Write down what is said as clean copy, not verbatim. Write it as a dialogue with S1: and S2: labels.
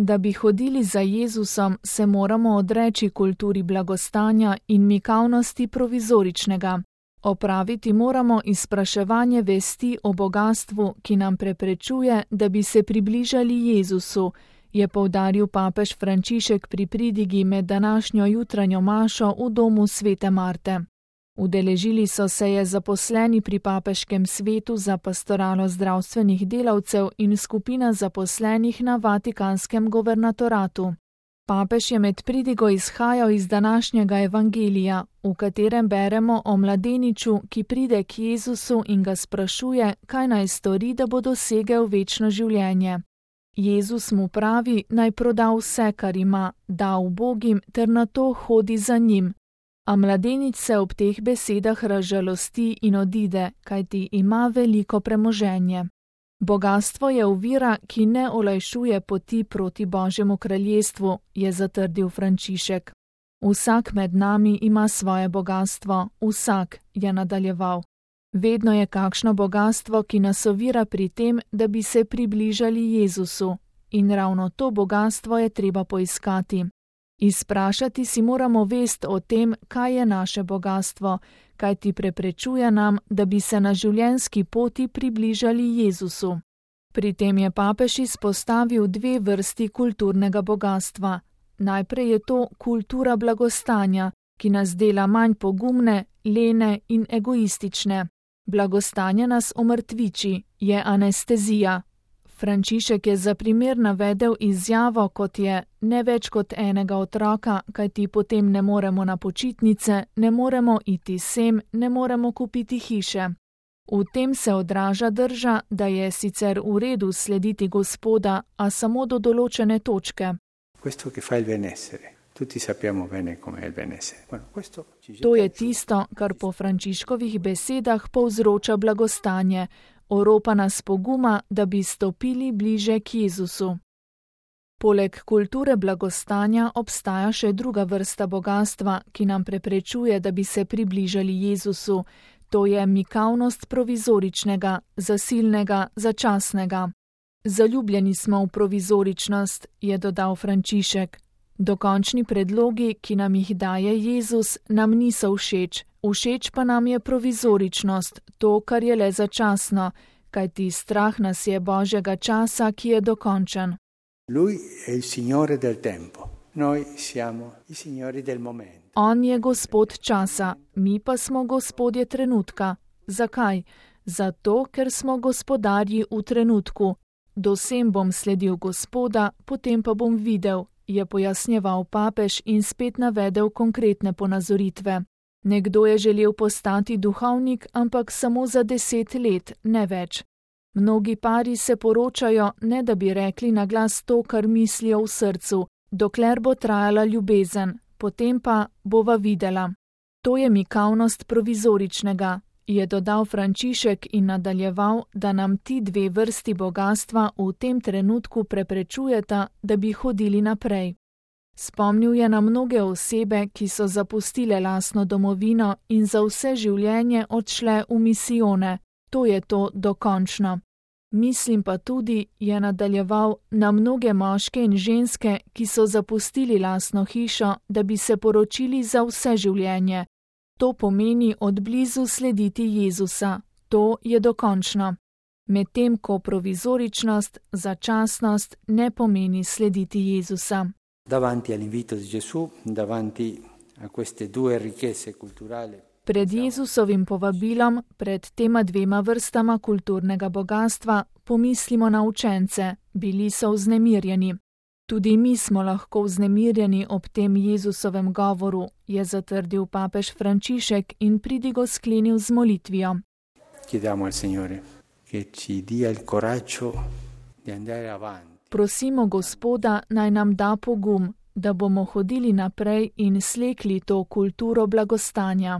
S1: Da bi hodili za Jezusom, se moramo odreči kulturi blagostanja in mikavnosti provizoričnega. Opraviti moramo izpraševanje vesti o bogastvu, ki nam preprečuje, da bi se približali Jezusu, je poudaril papež Frančišek pri pridigi med današnjo jutranjo mašo v domu Svete Marte. Udeležili so se je zaposleni pri Papeškem svetu za pastoralo zdravstvenih delavcev in skupina zaposlenih na Vatikanskem guvernatoratu. Papež je med pridigo izhajal iz današnjega evangelija, v katerem beremo o mladeniču, ki pride k Jezusu in ga sprašuje, kaj naj stori, da bo dosegel večno življenje. Jezus mu pravi, naj proda vse, kar ima, da ubogim ter nato hodi za njim. A mladenič se ob teh besedah razžalosti in odide, kajti ima veliko premoženje. Bogastvo je ovira, ki ne olajšuje poti proti Božjemu kraljestvu, je zatrdil Frančišek. Vsak med nami ima svoje bogastvo, vsak, je nadaljeval. Vedno je kakšno bogastvo, ki nas ovira pri tem, da bi se približali Jezusu, in ravno to bogastvo je treba poiskati. Izprašati si moramo vest o tem, kaj je naše bogastvo, kaj ti preprečuje nam, da bi se na življenjski poti približali Jezusu. Pri tem je papež izpostavil dve vrsti kulturnega bogastva. Najprej je to kultura blagostanja, ki nas dela manj pogumne, lene in egoistične. Blagostanje nas omrtviči, je anestezija. Frančišek je za primer navedel izjavo, kot je ne več kot enega otroka, kajti potem ne moremo na počitnice, ne moremo iti sem, ne moremo kupiti hiše. V tem se odraža drža, da je sicer v redu slediti Gospoda, a samo do določene točke. To je tisto, kar po Frančiškovih besedah povzroča blagostanje, oropa nas poguma, da bi stopili bliže k Jezusu. Poleg kulture blagostanja obstaja še druga vrsta bogastva, ki nam preprečuje, da bi se približali Jezusu. To je mikavnost provizoričnega, zasilnega, začasnega. Zaljubljeni smo v provizoričnost, je dodal Frančišek. Dokončni predlogi, ki nam jih daje Jezus, nam niso všeč. Všeč pa nam je provizoričnost, to, kar je le začasno, kajti strah nas je Božjega časa, ki je dokončen. On je Gospod časa, mi pa smo gospodje trenutka. Zakaj? Zato, ker smo gospodarji v trenutku. Dosem bom sledil Gospoda, potem pa bom videl, je pojasnjeval papež in spet navedel konkretne ponazoritve. Nekdo je želel postati duhovnik, ampak samo za 10 let, ne več. Mnogi pari se poročajo, ne da bi rekli na glas to, kar mislijo v srcu, dokler bo trajala ljubezen, potem pa bova videla. To je mikavnost provizoričnega, je dodal Frančišek in nadaljeval, da nam ti dve vrsti bogastva v tem trenutku preprečujeta, da bi hodili naprej. Spomnil je na mnoge osebe, ki so zapustile lastno domovino in za vse življenje odšle v misijone. To je to dokončno. Mislim pa tudi, je nadaljeval, na mnoge moške in ženske, ki so zapustili lastno hišo, da bi se poročili za vse življenje. To pomeni od blizu slediti Jezusa. To je dokončno. Medtem ko provizoričnost, začasnost ne pomeni slediti Jezusa.
S2: Davanti all'invito di Gesù, davanti a queste due ricchezze culturali.
S1: Pred Jezusovim povabilom, pred tema dvema vrstama kulturnega bogastva, pomislimo na učence, bili so vznemirjeni. Tudi mi smo lahko vznemirjeni ob tem Jezusovem govoru, je zatrdil papež Frančišek in pridigo sklenil z molitvijo.
S2: Chiediamo al Signore che ci dia il coraggio di andare avanti.
S1: Prosimo Gospoda, naj nam da pogum, da bomo hodili naprej in slekli to kulturo blagostanja.